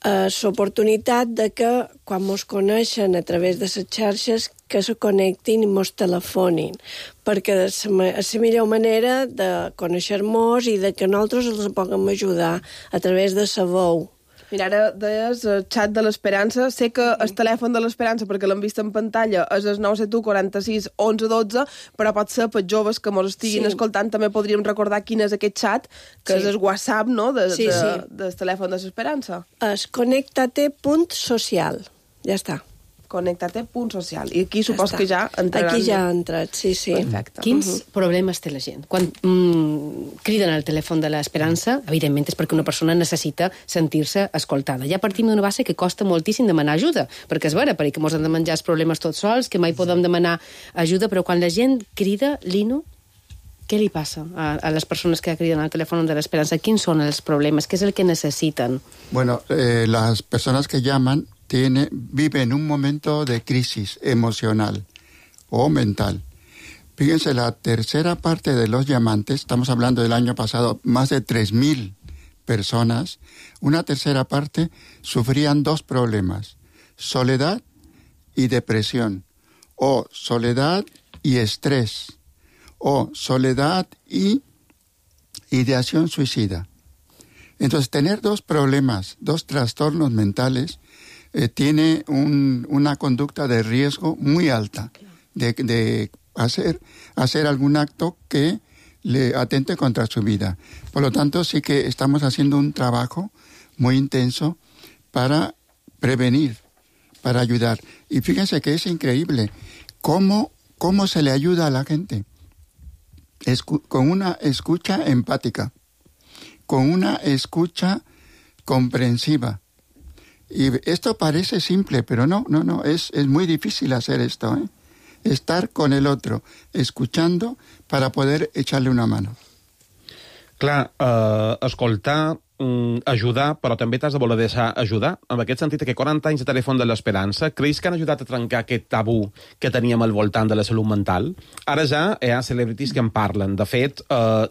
l'oportunitat de que, quan mos coneixen a través de les xarxes, que se connectin i mos telefonin, perquè és la millor manera de conèixer-nos i de que nosaltres els puguem ajudar a través de la veu. Mira, ara deies el xat de l'Esperança. Sé que el telèfon de l'Esperança, perquè l'hem vist en pantalla, és el 971 46 11 12, però pot ser per joves que ens estiguin escoltant, també podríem recordar quin és aquest xat, que és el WhatsApp, no?, del telèfon de l'Esperança. És connectate.social. Ja està. Connectate.social. I aquí supos que ja entraran... Aquí ja ha entrat, sí. Perfecte. Quins problemes té la gent? Quan criden al telèfon de l'Esperança, evidentment és perquè una persona necessita sentir-se escoltada. Ja partim d'una base que costa moltíssim demanar ajuda, perquè és vera, perquè ens hem de menjar els problemes tots sols, que mai podem demanar ajuda, però quan la gent crida, Lino, què li passa a les persones que criden al telèfon de l'Esperança? Quins són els problemes? Què és el que necessiten? Bueno, las personas que llaman viven un momento de crisis emocional o mental. Fíjense, la tercera parte de los llamantes, estamos hablando del año pasado, más de 3.000 personas, una tercera parte sufrían 2 problemas, soledad y depresión, o soledad y estrés, o soledad y ideación suicida. Entonces, tener 2 problemas, 2 trastornos mentales, tiene una conducta de riesgo muy alta de hacer algún acto que le atente contra su vida. Por lo tanto, sí que estamos haciendo un trabajo muy intenso para prevenir, para ayudar. Y fíjense que es increíble cómo se le ayuda a la gente. Con una escucha empática, con una escucha comprensiva. Y esto parece simple, pero no, es muy difícil hacer esto, ¿eh? Estar con el otro, escuchando para poder echarle una mano. Clar, escoltar, ajudar, però també t'has de voler deixar ajudar. En aquest sentit, que 40 anys de telèfon de l'Esperança, creus que han ajudat a trencar aquest tabú que teníem al voltant de la salut mental? Ara ja hi ha celebrities que en parlen. De fet,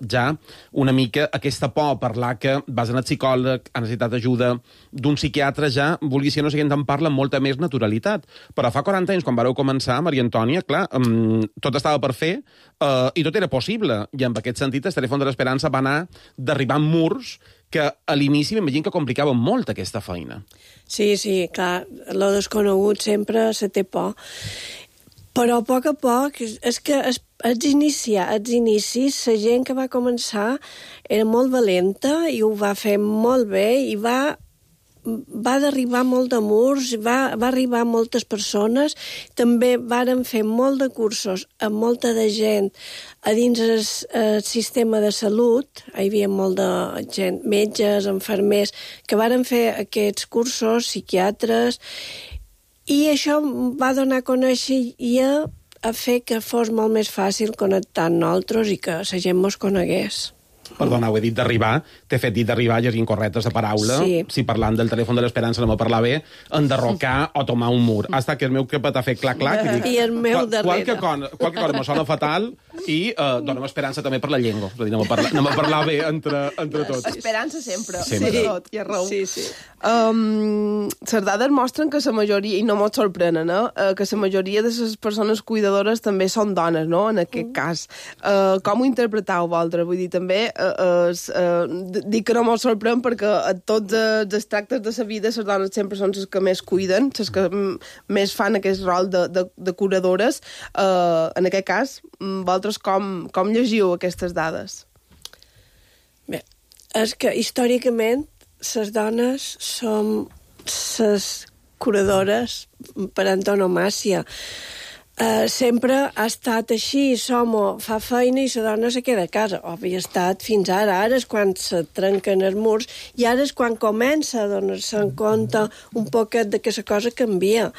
ja una mica aquesta por a parlar que vas anar al psicòleg, has necessitat ajuda d'un psiquiatre, ja, vulgui ser no sé, en parla amb molta més naturalitat. Però fa 40 anys, quan vareu començar, Maria Antònia, clar, tot estava per fer i tot era possible. I en aquest sentit, el telèfon de l'Esperança va anar derribant murs que a l'inici m'imagino que complicaven molt aquesta feina. Sí, clar, lo desconegut sempre se té por. Però a poc, és que als inicis, la gent que va començar era molt valenta i ho va fer molt bé i va derribar molt de murs, va arribar a moltes persones. També varen fer molt de cursos amb molta de gent a dins el sistema de salut. Hi havia molt de gent, metges, infermers, que varen fer aquests cursos, psiquiatres, i això va donar a conèixer i a fer que fos molt més fàcil connectar amb nosaltres i que la gent mos conegués. Perdona, ho he dit d'arribar, t'he fet dit d'arribar llegint correctes de paraula, si parlant del telèfon de l'Esperança no me parlar bé, enderrocar o tomar un mur. Hasta que el meu cap t'ha fet clac-clac. I el meu darrere. Qualque cosa me sona fatal i donem esperança també per la llengua. És a dir, anem a parlar bé entre tots. Esperança sempre. Tot, i a raó. Sí. Les dades mostren que la majoria, i no mos sorprenen, que la majoria de les persones cuidadores també són dones, no?, en aquest cas. Com ho interpretau, vosaltres? Vull dir, també dic que no me'l sorprèn perquè a tots els tractes de la vida les dones sempre són les que més cuiden, les que més fan aquest rol de curadores. En aquest cas, vosaltres com llegiu aquestes dades? Bé, és que històricament les dones som les curadores per antonomàsia. Sempre ha estat així, l'home fa feina i la dona se queda a casa. Havia estat fins ara. Ara és quan se trenquen els murs i ara és quan comença a donar-se en compte un poquet de que la cosa canvia.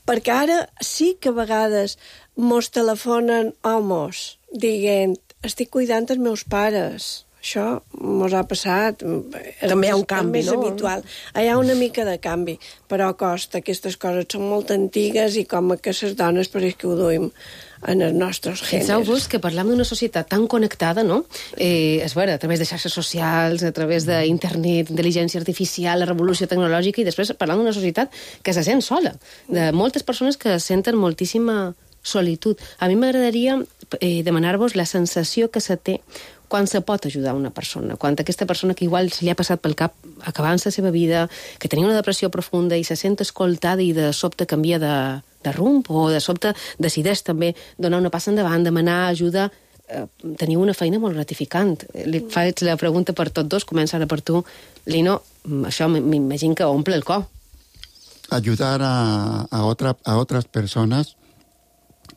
Perquè ara sí que a vegades mos telefonen homes dient estic cuidant els meus pares. Això mos ha passat. També hi ha un canvi, no? Habitual. Hi ha una mica de canvi, però costa. Aquestes coses són molt antigues i com que les dones pareix que ho duim en els nostres gèneres. Penseu-vos que parlam d'una societat tan connectada, no? És vera, a través de xarxes socials, a través d'internet, intel·ligència artificial, la revolució tecnològica, i després parlam d'una societat que se sent sola, de moltes persones que senten moltíssima solitud. A mi m'agradaria demanar-vos la sensació que se té quan se pot ajudar una persona, quan aquesta persona que igual se li ha passat pel cap acabant la seva vida, que tenia una depressió profunda i se sent escoltada i de sobte canvia de rumb, o de sobte decideix també donar una passa endavant, demanar ajuda, teniu una feina molt gratificant. Li faig la pregunta per tots dos, comença ara per tu. Lino, això m'imagino que omple el cor. Ayudar a otras personas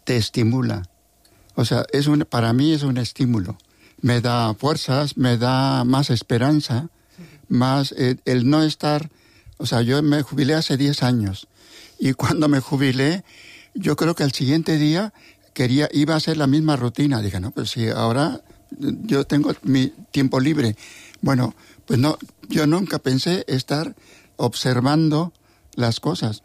te estimula. O sea, para mí es un estímulo. Me da fuerzas, me da más esperanza, más el no estar... O sea, yo me jubilé hace 10 años y cuando me jubilé, yo creo que al siguiente día iba a hacer la misma rutina. Dije, no, pues si ahora yo tengo mi tiempo libre. Bueno, pues no, yo nunca pensé estar observando las cosas.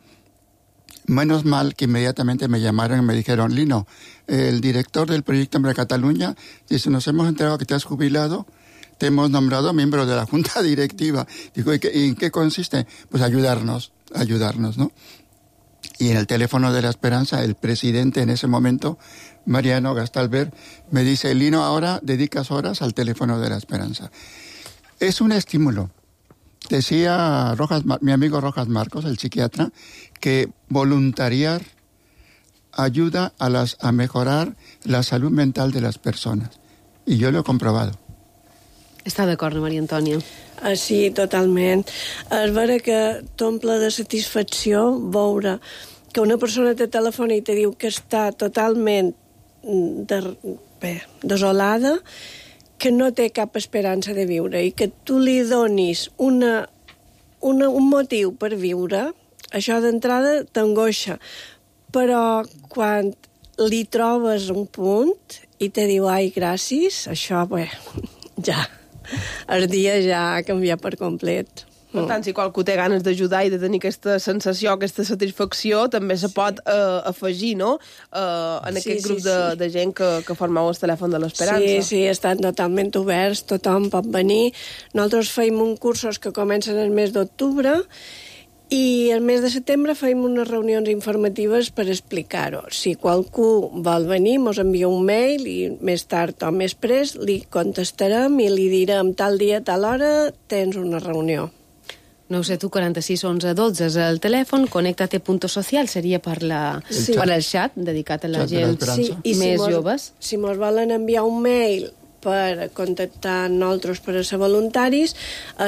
Menos mal que inmediatamente me llamaron y me dijeron, Lino, el director del proyecto Hambre Cataluña dice, nos hemos enterado que te has jubilado, te hemos nombrado miembro de la junta directiva. Digo, ¿y en qué consiste? Pues ayudarnos, ¿no? Y en el teléfono de la esperanza, el presidente en ese momento, Mariano Gastalver, me dice, Lino, ahora dedicas horas al teléfono de la esperanza. Es un estímulo. Decía mi amigo Rojas Marcos, el psiquiatra, que voluntariar ayuda a mejorar la salud mental de las personas. Y yo lo he comprobado. Està d'acord, Maria Antònia? Sí, totalment. És vera que t'omple de satisfacció veure que una persona te telefona i te diu que està totalment desolada, que no té cap esperança de viure i que tu li donis un motiu per viure, això d'entrada t'angoixa. Però quan li trobes un punt i te diu, ai, gràcies, això, ja, el dia ja ha canviat per complet. Per tant, si qualcú té ganes d'ajudar i de tenir aquesta sensació, aquesta satisfacció, també se pot afegir, no?, en aquest grup de gent que formeu el telèfon de l'Esperança. Sí, estan totalment oberts, tothom pot venir. Nosaltres feim uns cursos que comencen el mes d'octubre i el mes de setembre feim unes reunions informatives per explicar-ho. Si qualcú vol venir, mos envia un mail i més tard o més pres li contestarem i li direm tal dia, tal hora, tens una reunió. 972 46 11 12 és el telèfon, Conectate.social seria per el xat dedicat a la gent més joves. Si mos volen enviar un mail per contactar nosaltres per a ser voluntaris,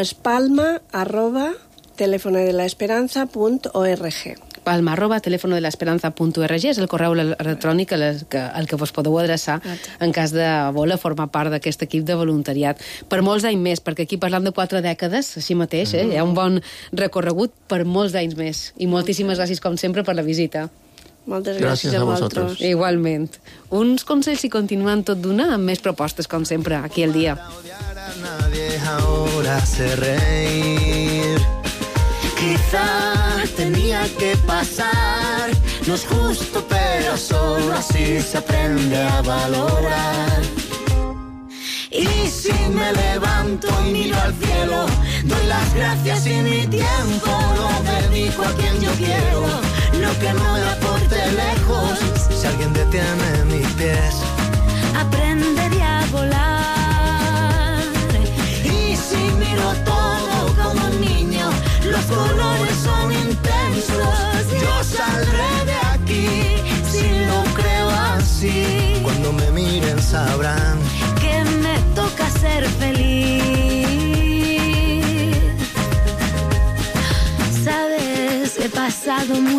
és palma@telefonodelaesperanza.org. palma@telefonodelaesperanza.org és el correu electrònic al que vos podeu adreçar en cas de voler formar part d'aquest equip de voluntariat. Per molts anys més, perquè aquí parlam de 4 dècades, així mateix, hi ha un bon recorregut per molts anys més. I moltíssimes gràcies, com sempre, per la visita. Moltes gràcies a vosaltres. Igualment. Uns consells i continuem tot d'una amb més propostes, com sempre, aquí al dia. Nadie ahora hace reír. Quizá tenía que pasar, no es justo, pero solo así se aprende a valorar. Y si me levanto y miro al cielo, doy las gracias y mi tiempo lo dedico a quien yo quiero. Lo que no me aporte lejos, si alguien detiene mis pies, aprendería a volar.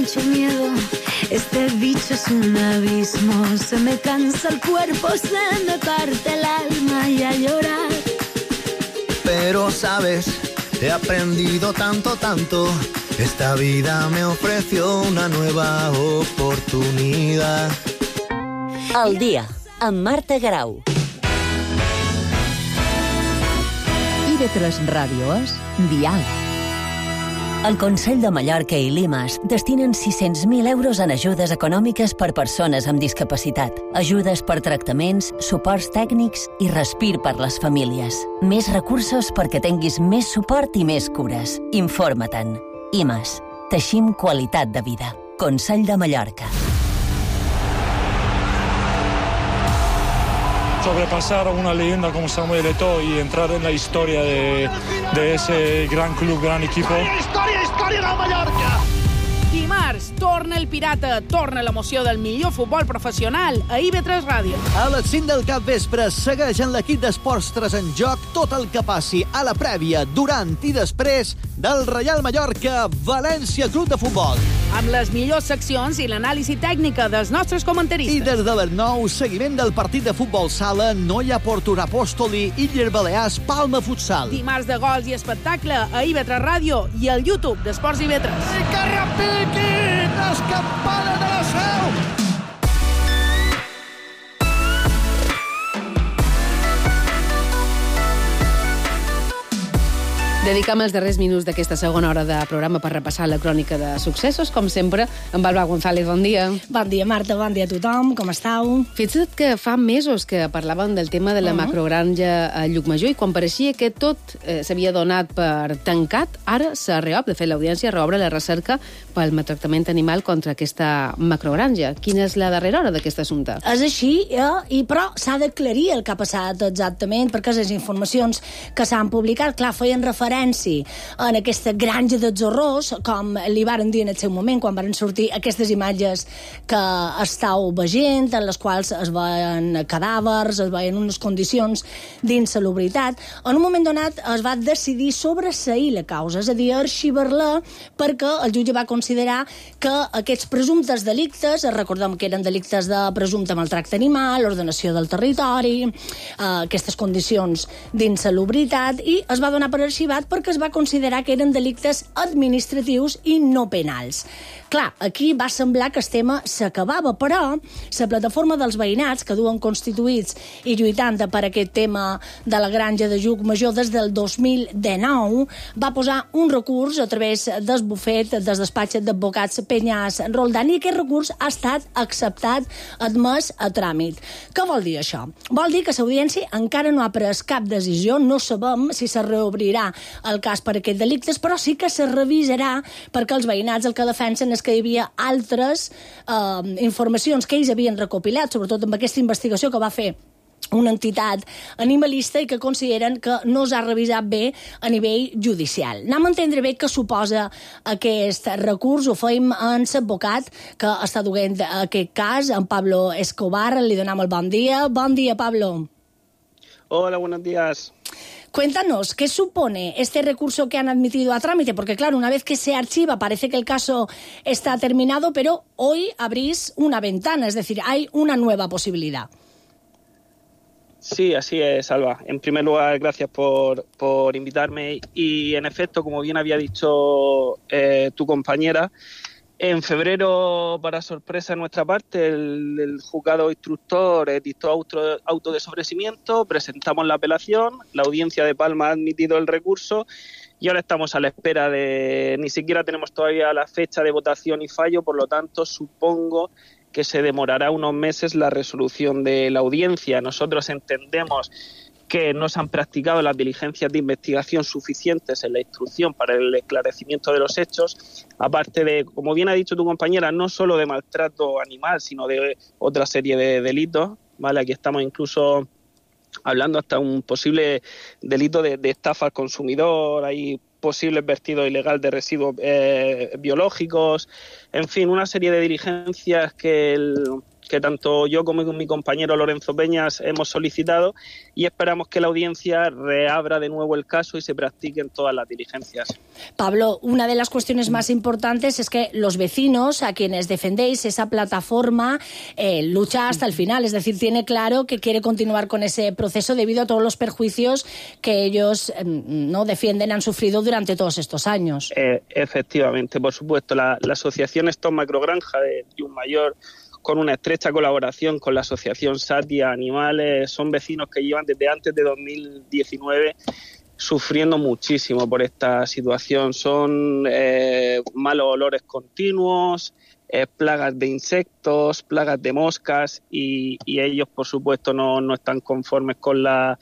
mucho miedo. Este bicho es un abismo. Se me cansa el cuerpo, se me parte el alma y a llorar. Pero sabes, he aprendido tanto. Esta vida me ofreció una nueva oportunidad. Al dia, amb Marta Grau. IB3 Ràdio és Dial. El Consell de Mallorca i Limas destinen 600.000 euros en ajudes econòmiques per persones amb discapacitat, ajudes per tractaments, suports tècnics i respir per les famílies. Més recursos perquè tinguis més suport i més cures. Informa-te'n. IMAS. Teixim qualitat de vida. Consell de Mallorca. Sobrepasar a una leyenda como Samuel Eto'o y entrar en la historia de ese gran club, gran equipo. Història del Mallorca! Dimarts, torna el Pirata, torna l'emoció del millor futbol professional a IB3 Ràdio. A les 5 del capvespre segueix en l'equip d'Esports 3 en joc tot el que passi a la prèvia, durant i després del Reial Mallorca València Club de Futbol. Amb les millors seccions i l'anàlisi tècnica dels nostres comentaristes. I des de les 9, seguiment del partit de futbol sala Noia Porto Apòstoli i Illes Balears Palma Futsal. Dimarts de gols i espectacle a IB3 Ràdio i al YouTube d'Esports IB3. I que repiquin les campanes de la Seu! Dedicam els darrers minuts d'aquesta segona hora de programa per repassar la crònica de successos, com sempre, amb Alba González. Bon dia. Bon dia, Marta, bon dia a tothom, com estàu? Fixa't que fa mesos que parlàvem del tema de la macrogranja a Llucmajor i quan pareixia que tot s'havia donat per tancat, ara s'ha reobert. De fet, l'Audiència reobre la recerca pel maltractament animal contra aquesta macrogranja. Quina és la darrera hora d'aquest assumpte? És així, però s'ha d'aclarir el que ha passat exactament, perquè les informacions que s'han publicat, clar, feien referència en aquesta granja dels horrors, com li varen dir en el seu moment, quan varen sortir aquestes imatges que estàu veient, en les quals es veien cadàvers, es veien unes condicions d'insalubritat. En un moment donat es va decidir sobreseir la causa, és a dir, arxivar-la, perquè el jutge va considerar que aquests presumptes delictes, recordem que eren delictes de presumpte maltracte animal, ordenació del territori, aquestes condicions d'insalubritat, i es va donar per arxivat perquè es va considerar que eren delictes administratius i no penals. Clar, aquí va semblar que el tema s'acabava, però la plataforma dels veïnats, que duen constituïts i lluitant per aquest tema de la granja de Llucmajor des del 2019, va posar un recurs a través del bufet del despatx d'advocats Peñas Roldán, i aquest recurs ha estat acceptat, admès a tràmit. Què vol dir això? Vol dir que l'Audiència encara no ha pres cap decisió, no sabem si se reobrirà el cas per aquests delictes, però sí que se revisarà, perquè els veïnats el que defensen és que hi havia altres informacions que ells havien recopilat, sobretot amb aquesta investigació que va fer una entitat animalista i que consideren que no s'ha revisat bé a nivell judicial. Anem a entendre bé què suposa aquest recurs. Ho fem amb l'advocat que està duent aquest cas, en Pablo Escobar. Li donem el bon dia. Bon dia, Pablo. Hola, buenos días. Cuéntanos, ¿qué supone este recurso que han admitido a trámite? Porque, claro, una vez que se archiva, parece que el caso está terminado, pero hoy abrís una ventana, es decir, hay una nueva posibilidad. Sí, así es, Alba. En primer lugar, gracias por invitarme. Y, en efecto, como bien había dicho tu compañera, en febrero, para sorpresa de nuestra parte, el juzgado instructor dictó auto de sobreseimiento, presentamos la apelación, la audiencia de Palma ha admitido el recurso y ahora estamos a la espera ni siquiera tenemos todavía la fecha de votación y fallo, por lo tanto supongo que se demorará unos meses la resolución de la audiencia. Nosotros entendemos que no se han practicado las diligencias de investigación suficientes en la instrucción para el esclarecimiento de los hechos, aparte de, como bien ha dicho tu compañera, no solo de maltrato animal, sino de otra serie de delitos, ¿vale? Aquí estamos incluso hablando hasta un posible delito de estafa al consumidor, hay posibles vertidos ilegal de residuos biológicos, en fin, una serie de diligencias que que tanto yo como mi compañero Lorenzo Peñas hemos solicitado, y esperamos que la audiencia reabra de nuevo el caso y se practiquen todas las diligencias. Pablo, una de las cuestiones más importantes es que los vecinos a quienes defendéis esa plataforma lucha hasta el final, es decir, tiene claro que quiere continuar con ese proceso debido a todos los perjuicios que ellos no defienden han sufrido durante todos estos años. Efectivamente, por supuesto, la asociación Stop Macrogranja de Llucmajor, con una estrecha colaboración con la asociación Satia Animales, son vecinos que llevan desde antes de 2019 sufriendo muchísimo por esta situación. Son malos olores continuos, plagas de insectos, plagas de moscas, y ellos, por supuesto, no están conformes con la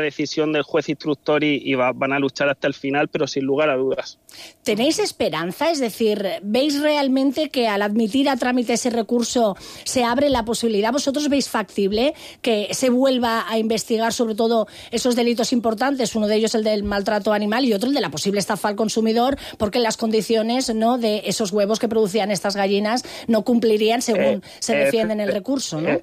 decisión del juez instructor y van a luchar hasta el final, pero sin lugar a dudas. ¿Tenéis esperanza? Es decir, ¿veis realmente que al admitir a trámite ese recurso se abre la posibilidad? ¿Vosotros veis factible que se vuelva a investigar sobre todo esos delitos importantes? Uno de ellos el del maltrato animal y otro el de la posible estafa al consumidor, porque las condiciones, ¿no?, de esos huevos que producían estas gallinas no cumplirían según se defiende en el recurso, ¿no?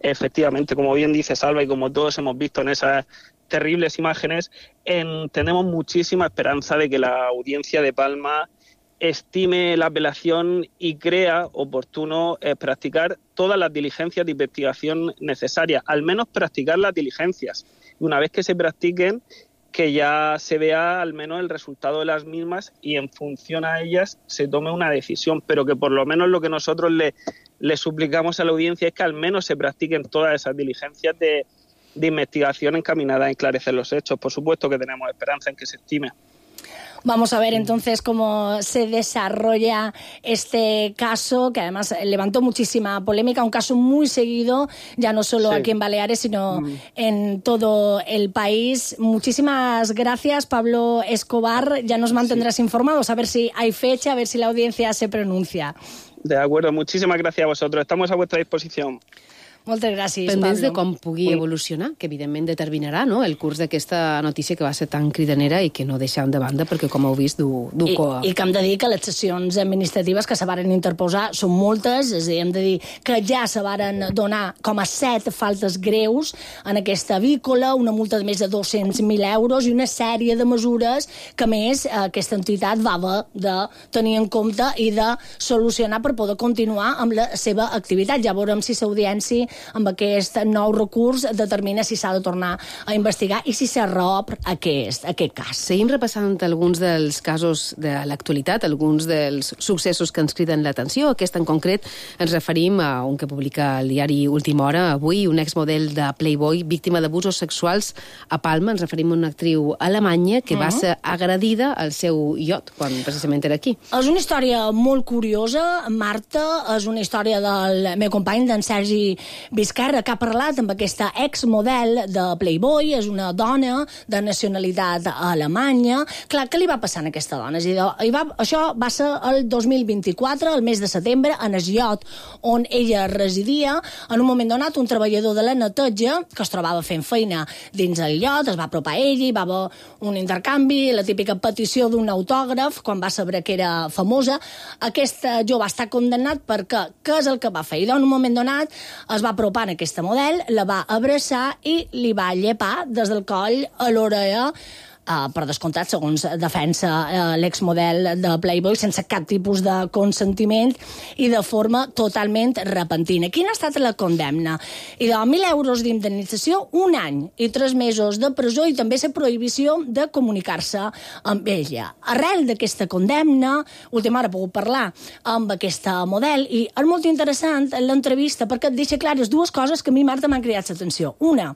Efectivamente, como bien dice Salva y como todos hemos visto en esas terribles imágenes, tenemos muchísima esperanza de que la audiencia de Palma estime la apelación y crea oportuno practicar todas las diligencias de investigación necesarias, al menos practicar las diligencias. Y una vez que se practiquen, que ya se vea al menos el resultado de las mismas y en función a ellas se tome una decisión, pero que por lo menos lo que nosotros le suplicamos a la audiencia es que al menos se practiquen todas esas diligencias de investigación encaminadas a esclarecer los hechos. Por supuesto que tenemos esperanza en que se estime. Vamos a ver entonces cómo se desarrolla este caso, que además levantó muchísima polémica, un caso muy seguido, ya no solo aquí en Baleares, sino en todo el país. Muchísimas gracias, Pablo Escobar. Ya nos mantendrás informados, a ver si hay fecha, a ver si la audiencia se pronuncia. De acuerdo, muchísimas gracias a vosotros. Estamos a vuestra disposición. Moltes gràcies, Pendents Pablo. de com pugui evolucionar, que evidentment determinarà, no?, el curs d'aquesta notícia que va ser tan cridanera i que no deixem de banda perquè, com heu vist, du coa. I que hem de dir que les sessions administratives que se varen interposar són moltes, és a dir, hem de dir que ja se varen donar com a 7 faltes greus en aquesta avícola, una multa de més de 200.000 euros i una sèrie de mesures que, a més, aquesta entitat va haver de tenir en compte i de solucionar per poder continuar amb la seva activitat. Ja veurem si l'audiència amb aquest nou recurs determina si s'ha de tornar a investigar i si s'arrob aquest cas. Seguim repassant alguns dels casos de l'actualitat, alguns dels successos que ens criden l'atenció. Aquest en concret ens referim a un que publica el diari Última Hora avui, un exmodel de Playboy víctima d'abusos sexuals a Palma. Ens referim a una actriu alemanya que va ser agredida al seu iot quan precisament era aquí. És una història molt curiosa, Marta, és una història del meu company, d'en Sergi Vizcarra, que ha parlat amb aquesta exmodel de Playboy, és una dona de nacionalitat alemanya. Clar, què li va passar a aquesta dona? Això va ser el 2024, el mes de setembre, en el iot on ella residia. En un moment donat, un treballador de la neteja, que es trobava fent feina dins el iot, es va apropar a ella, hi va haver un intercanvi, la típica petició d'un autògraf, quan va saber que era famosa. Aquest jove va estar condemnat perquè què és el que va fer? I en un moment donat es va apropar en aquesta model, la va abraçar i li va llepar des del coll a l'orella, per descomptat, segons defensa l'exmodel de Playboy, sense cap tipus de consentiment i de forma totalment repentina. Quina ha estat la condemna? I de 1.000 euros d'indemnització, 1 any i 3 mesos de presó i també la prohibició de comunicar-se amb ella. Arrel d'aquesta condemna, Última Hora ha pogut parlar amb aquesta model i és molt interessant l'entrevista perquè et deixa clares 2 coses que a mi, Marta, m'han cridat l'atenció. Una,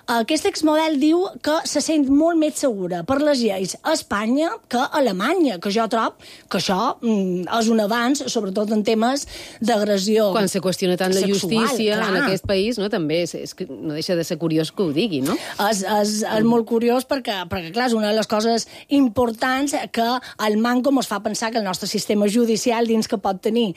aquest exmodel diu que se sent molt més segura per les lleis a Espanya que a Alemanya, que jo trobo que això és un avanç, sobretot en temes d'agressió sexual. Quan se qüestiona tant la justícia en aquest país, no, també no deixa de ser curiós que ho digui, no? És molt curiós perquè, clar, és una de les coses importants que el manco ens fa pensar que el nostre sistema judicial dins que pot tenir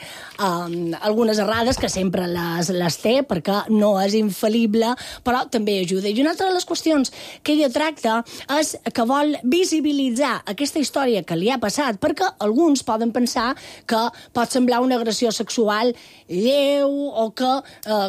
algunes errades, que sempre les té, perquè no és infal·lible, però també ajuda. I una altra de les qüestions que ella tracta és que vol visibilitzar aquesta història que li ha passat, perquè alguns poden pensar que pot semblar una agressió sexual lleu o que,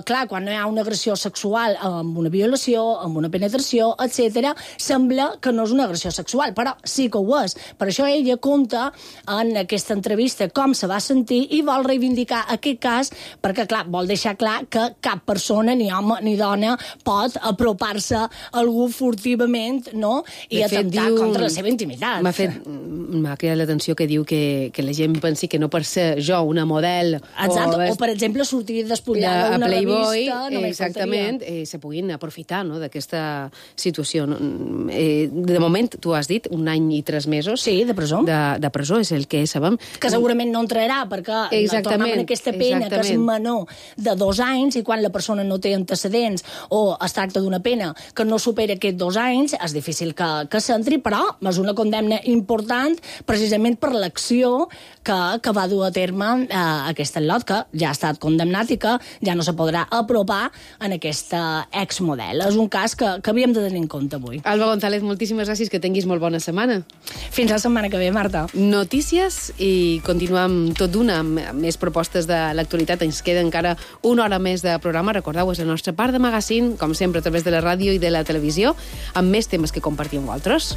clar, quan no hi ha una agressió sexual amb una violació, amb una penetració, etc., sembla que no és una agressió sexual, però sí que ho és. Per això ella conta en aquesta entrevista com se va sentir i vol reivindicar aquest cas perquè, clar, vol deixar clar que cap persona, ni home ni dona, pot apropar-se a algú furtivament, no?, i atemptar contra la seva intimitat. M'ha cridat l'atenció que diu que la gent pensi que no per ser jo una model o per exemple, sortir despullada d'una revista... Exactament, se puguin aprofitar d'aquesta situació. De moment, tu has dit, 1 any i 3 mesos... Sí, de presó. De presó, és el que sabem. Que segurament no entrarà, perquè no tornem en aquesta pena que és menor de 2 anys, i quan la persona no té antecedents o es tracta d'una pena que no supera aquests 2 anys, és difícil que s'entri, però és una condemna important precisament per l'acció que va dur a terme aquest lot, que ja ha estat condemnat i que ja no se podrà apropar en aquesta exmodel. És un cas que havíem de tenir en compte avui. Alba González, moltíssimes gràcies, que tinguis molt bona setmana. Fins la setmana que ve, Marta. Notícies i continuem tot d'una amb més propostes de l'actualitat. Ens queda encara 1 hora més de programa. Recordeu, és la nostra part de magazine, com sempre, a través de la ràdio i de la televisió, amb més temes que compartir amb vosaltres.